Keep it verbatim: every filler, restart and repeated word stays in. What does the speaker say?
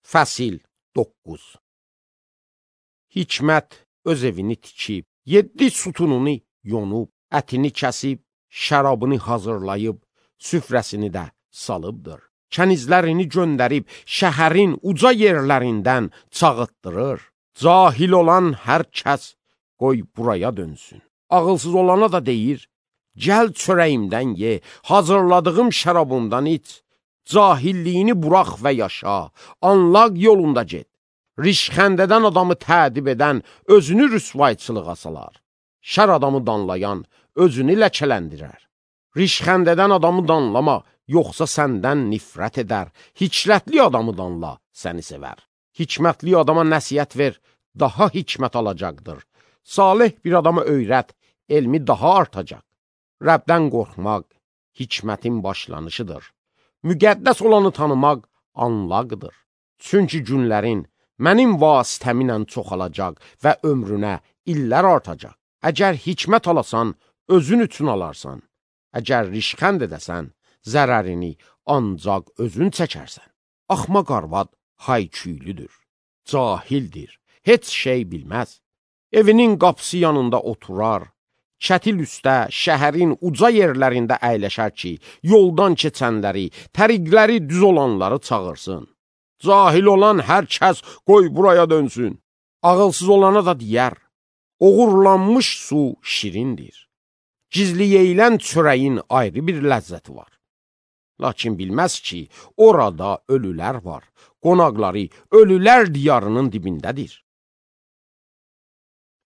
Fəsil doqquz. Hikmət öz evini tikib, yeddi sütununu yonub, ətini kəsib, şərabını hazırlayıb, süfrəsini də salıbdır. Kənizlərini göndərib, şəhərin uca yerlərindən çağıtdırır. Cahil olan hər kəs qoy buraya dönsün. Ağılsız olana da deyir, gəl çörəyimdən ye, hazırladığım şərabımdan iç. Cahilliyini burax və yaşa, anlaq yolunda get. Rişxəndədən adamı tədib edən özünü rüsvayçılığa salar. Şər adamı danlayan özünü ləkələndirər. Rişxəndədən adamı danlama, yoxsa səndən nifrət edər. Hikmətli adamı danla, səni sevər. Hikmətli adama nəsihət ver, daha hikmət alacaqdır. Salih bir adama öyrət, elmi daha artacaq. Rəbdən qorxmaq hikmətin başlanışıdır. Müqəddəs olanı tanımaq anlaqdır. Çünki günlərin mənim vasitəminlə çoxalacaq və ömrünə illər artacaq. Əgər hikmət alasan, özün üçün alarsan. Əgər rişxənd edəsən, zərərini ancaq özün çəkərsən. Axmaq arvad hayküylüdür, cahildir, heç şey bilməz. Evinin qapısı yanında oturar, çətil üstə, şəhərin uca yerlərində əyləşər ki, yoldan keçənləri, təriqləri düz olanları çağırsın. Cahil olan hər kəs qoy buraya dönsün. Ağılsız olana da deyər, oğurlanmış su şirindir. Gizli yeyilən çörəyin ayrı bir ləzzəti var. Lakin bilməz ki, orada ölülər var. Qonaqları ölülər diyarının dibindədir.